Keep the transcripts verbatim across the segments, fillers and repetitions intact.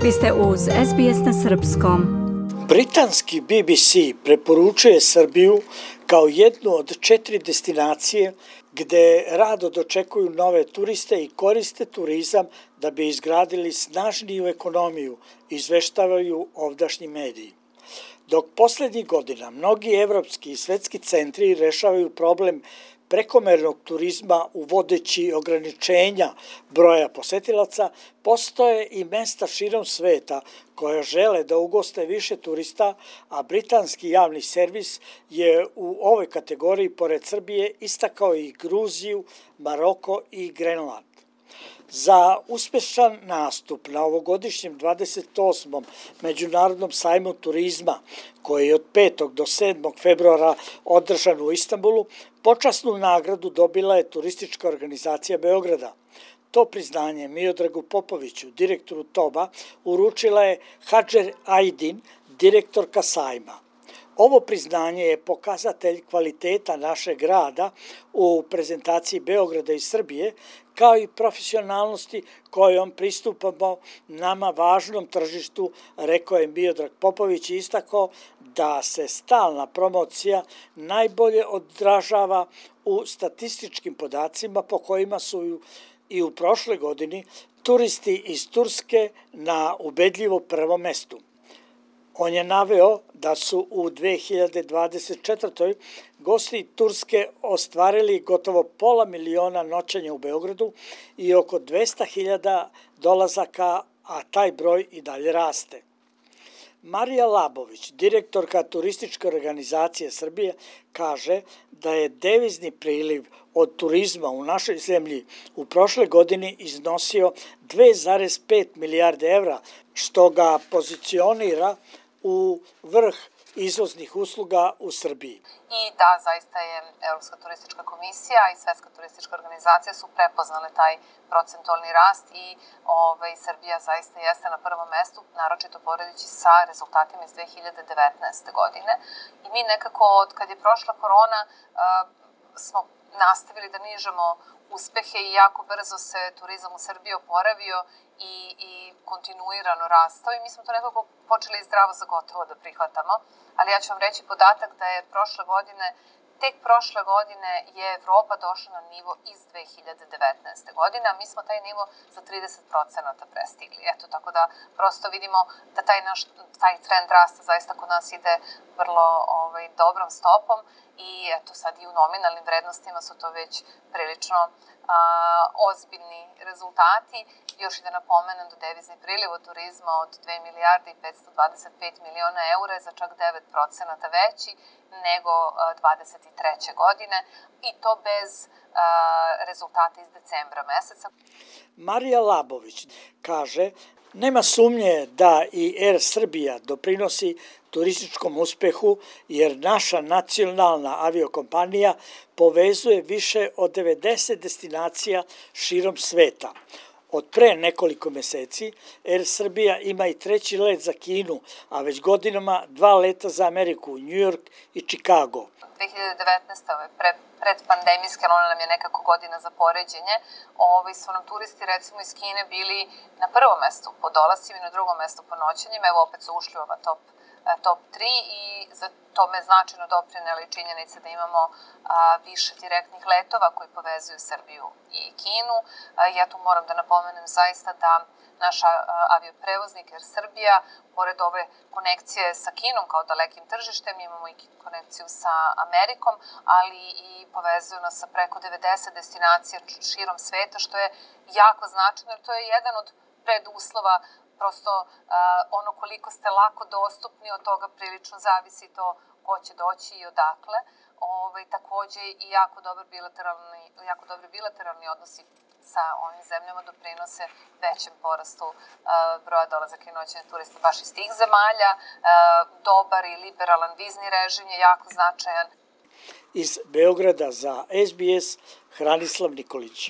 Vi ste uz S B S na srpskom. Britanski B B C preporučuje Srbiju kao jednu od četiri destinacije gde rado dočekuju nove turiste i koriste turizam da bi izgradili snažniju ekonomiju, izveštavaju ovdašnji mediji. Dok poslednjih godina mnogi evropski i svetski centri rešavaju problem prekomernog turizma uvodeći ograničenja broja posetilaca, postoje i mesta širom sveta koja žele da ugoste više turista, a britanski javni servis je u ovoj kategoriji pored Srbije istakao i Gruziju, Maroko i Grenland. Za uspešan nastup na ovogodišnjem dvadeset osmom Međunarodnom sajmu turizma, koji je od petog do sedmog februara održan u Istanbulu, počasnu nagradu dobila je Turistička organizacija Beograda. To priznanje Miodragu Popoviću, direktoru Toba, uručila je Hadžer Ajdin, direktorka sajma. Ovo priznanje je pokazatelj kvaliteta našeg rada u prezentaciji Beograda i Srbije, kao i profesionalnosti kojom pristupamo nama važnom tržištu, rekao je Miodrag Popović i istakao da se stalna promocija najbolje odražava u statističkim podacima po kojima su i u prošle godini turisti iz Turske na ubedljivo prvom mestu. On je naveo da su u dve hiljade dvadeset četvrtoj gosti Turske ostvarili gotovo pola miliona noćenja u Beogradu i oko dvesta hiljada dolazaka, a taj broj i dalje raste. Marija Labović, direktorka Turističke organizacije Srbije, kaže da je devizni priliv od turizma u našoj zemlji u prošle godini iznosio dve zarez pet milijarde evra, što ga pozicionira u vrh izvoznih usluga u Srbiji. I da, zaista je Evropska turistička komisija i Svetska turistička organizacija su prepoznale taj procentualni rast i ovaj, Srbija zaista jeste na prvom mestu, naročito poredeći sa rezultatima iz dve hiljade devetnaeste. godine. I mi nekako, od kad je prošla korona, uh, smo nastavili da nižemo uspehe i jako brzo se turizam u Srbiji oporavio i, i kontinuirano rastao i mi smo to nekako počeli zdravo za gotovo da prihvatamo, ali ja ću vam reći podatak da je prošle godine, tek prošle godine je Evropa došla na nivo iz dve hiljade devetnaeste. godine, a mi smo taj nivo za trideset procenata prestigli. Eto, tako da prosto vidimo da taj, naš, taj trend rasta zaista kod nas ide vrlo ovaj, dobrom stopom i eto sad i u nominalnim vrednostima su to već prilično a, ozbiljni rezultati. Još i da napomenem da devizni priliv od turizma od dve milijarde i petsto dvadeset pet miliona eura je za čak devet procenata veći nego dvadeset treće. godine i to bez a, rezultata iz decembra meseca. Marija Labović kaže: nema sumnje da i Er Srbija doprinosi turističkom uspehu jer naša nacionalna aviokompanija povezuje više od devedeset destinacija širom sveta. Od pre nekoliko meseci Er Srbija ima i treći let za Kinu, a već godinama dva leta za Ameriku, New York i Chicago. dve hiljade devetnaeste. ove pre, predpandemijske, ona nam je nekako godina za poređenje, ovi su nam turisti recimo iz Kine bili na prvom mestu po dolascima i na drugom mestu po noćenjima, evo opet su ušli u ova top top tri i za tome značajno doprinela i činjenica da imamo a, više direktnih letova koji povezuju Srbiju i Kinu. A, ja tu moram da napomenem zaista da naša avioprevoznik Air Srbija, pored ove konekcije sa Kinom kao dalekim tržištem, imamo i konekciju sa Amerikom, ali i povezuju nas sa preko devedeset destinacija širom sveta, što je jako značajno, jer to je jedan od preduslova. Prosto uh, ono koliko ste lako dostupni, od toga prilično zavisi to ko će doći i odakle. Ove, takođe i jako, dobar bilateralni, jako dobri bilateralni odnosi sa ovim zemljama doprinose većem porastu uh, broja dolazaka i noćenja turista baš iz tih zemalja. Uh, dobar i liberalan vizni režim je jako značajan. Iz Beograda za S B S, Hranislav Nikolić.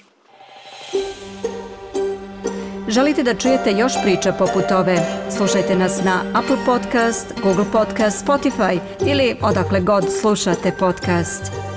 Želite da čujete još priča poput ove? Slušajte nas na Apple Podcast, Google Podcast, Spotify ili odakle god slušate podcast.